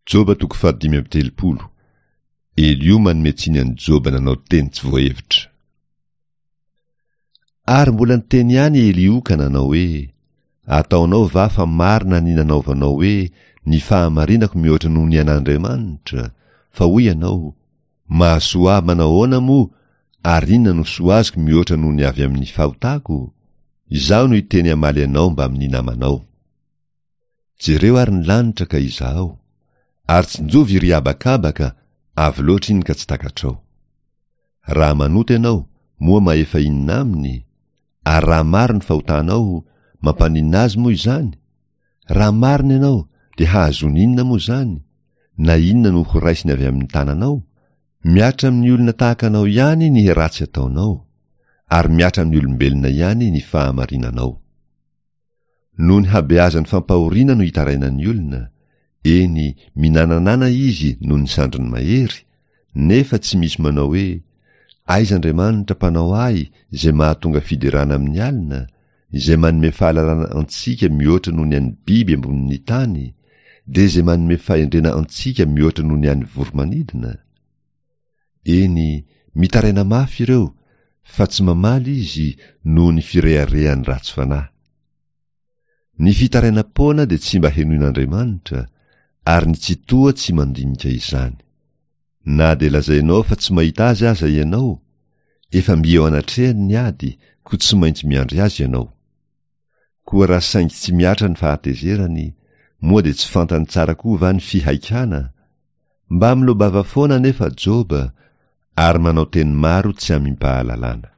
Joba toko fahadimy amby telopolo. Eliho manome tsiny an'i Joba nanao teny tsy voahevitra. Ary mbola niteny ihany i Eliho ka nanao hoe, Ataonao va fa marina ny nanaovanao hoe, Ny fahamarinako mihoatra noho ny an'Andriamanitra? Fa hoy ianao, Mahasoa ahy manahoana moa, ary inona no soa azoko mihoatra noho ny avy amin'ny fahotako? Izaho no hiteny hamaly anao mbamin'ny namanao. Jereo ary ny lanitra ka izahao, ary tsinjovy iry habakabaka, avo loatra iny ka tsy takatrao. Raha manota ianao, moa mahefa inona aminy? Ary raha maro ny fahotanao, mampaninona azy moa izany? Raha marina ianao, dia hahazoany inona moa izany? Na inona no horaisiny avy amin'ny tananao? Mihatra amin'ny olona tahaka anao ihany ny ratsy ataonao, ary mihatra amin'ny olombelona ihany ny fahamarinanao. Noho ny habeazan'ny fampahoriana no itarainan'ny olona, eny, minananana izy noho ny sandriny mahery, nefa tsy misy manao hoe, Aiza Andriamanitra Mpanao ahy izay mahatonga fiderana amin'ny alina, izay manome fahalalana antsika mihoatra noho ny an'ny biby ambonin'ny tany, dia izay manome fahendrena antsika mihoatra noho ny an'ny voro-manidina? Eny, mitaraina mafy ireo, fa tsy mamaly izy noho ny fireharehany ratsy fanahy. Ny fitarainam-poana dia tsy mba henoin'Andriamanitra, ary ny Tsitoha tsy mandinika izany. Na dia lazainao fa tsy mahita azy aza ianao, efa mby eo anatrehany ny ady, koa tsy maintsy miandry azy ianao. Koa raha saingy tsy mihatra ny fahatezerany, moa dia tsy fantany tsara koa va ny fihaikana? Mba miloa-bava foana anefa Joba, ary manao teny maro tsy amim-pahalalana.